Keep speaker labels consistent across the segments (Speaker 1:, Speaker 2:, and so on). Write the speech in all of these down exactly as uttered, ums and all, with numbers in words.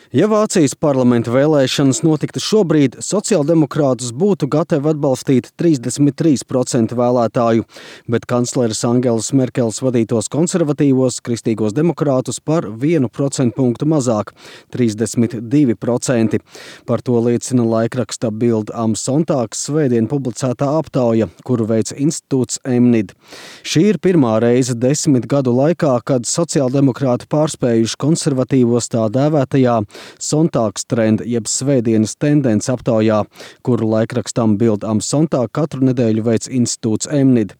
Speaker 1: Ja Vācijas parlamenta vēlēšanas notiktu šobrīd, sociāldemokrātus būtu gatavi atbalstīt trīsdesmit trīs procenti vēlētāju, bet kancleres Angelas Merkeles vadītos konservatīvos kristīgos demokrātus par vienu procentpunktu mazāk – trīsdesmit divi procenti. Par to liecina laikraksta Bild am Sonntag svētdien publicētā aptauja, kuru veica institūts Emnid. Šī ir pirmā reize desmit gadu laikā, kad sociāldemokrāti pārspējuši konservatīvos tā dēvētajā Sonntagstrend jeb svētdienas tendence aptaujā, kuru laikrakstam Bild am Sonntag katru nedēļu veic institūts Emnid.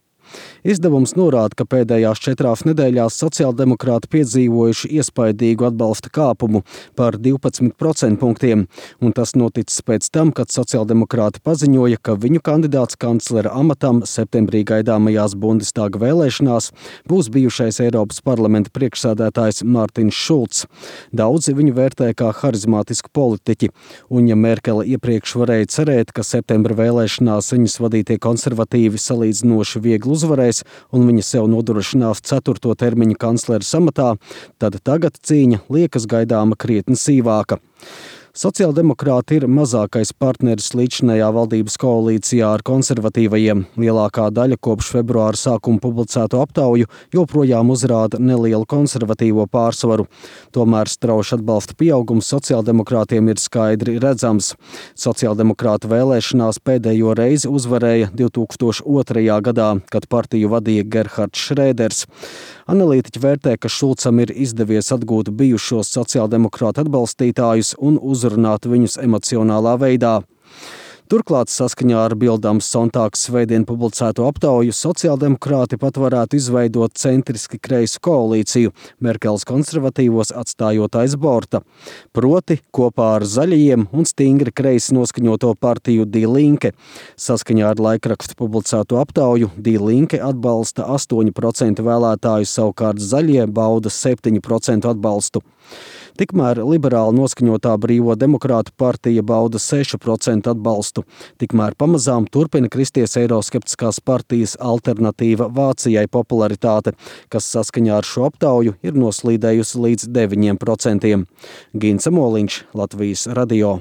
Speaker 1: Izdevums norāda, ka pēdējās četrās nedēļās sociāldemokrāti piedzīvojuši iespaidīgu atbalsta kāpumu par divpadsmit procentpunktiem, un tas noticis pēc tam, kad sociāldemokrāti paziņoja, ka viņu kandidāts kanclera amatam septembrī gaidāmajās Bundestaga vēlēšanās būs bijušais Eiropas parlamenta priekšsēdētājs Mārtiņš Šulcs. Daudzi viņu vērtē kā harizmātisku politiķi, un ja Merkele iepriekš varēja cerēt, ka septembra vēlēšanās viņas vadītie konservatīvi salīdzinoši viegli uzvarēs un viņa sev nodrošinās ceturto termiņu kancleres amatā, tad tagad cīņa liekas gaidāma krietni sīvāka. Sociāldemokrāti ir mazākais partneris līdzinējā valdības koalīcijā ar konservatīvajiem. Lielākā daļa kopš februāra sākuma publicēto aptauju joprojām uzrāda nelielu konservatīvo pārsvaru. Tomēr strauši atbalsta pieaugums sociāldemokrātiem ir skaidri redzams. Sociāldemokrātu vēlēšanās pēdējo reizi uzvarēja divtūkstoš otrajā gadā, kad partiju vadīja Gerhards Šrēders. Analītiķi vērtē, ka Šulcam ir izdevies atgūt bijušos sociāldemokrātu atbalstītājus un uzrunāt viņus emocionālā veidā. Turklāt saskaņā ar Bild am Sonntag svētdien publicēto aptauju sociāldemokrāti pat varētu izveidot centriski kreisu koalīciju, Merkeles konservatīvos atstājot aiz borta. Proti kopā ar zaļajiem un stingri kreisi noskaņoto partiju Die Linke. Saskaņā ar laikrakstu publicēto aptauju Die Linke atbalsta astoņi procenti vēlētāju, savukārt zaļie bauda septiņu procentu atbalstu. Tikmēr liberāli noskaņotā Brīvo demokrātu partija bauda sešu procentu atbalstu. Tikmēr pamazām turpina kristies eiroskeptiskās partijas Alternatīva Vācijai popularitāte, kas saskaņā ar šo aptauju ir noslīdējusi līdz deviņiem procentiem. Gins Amoliņš, Latvijas radio.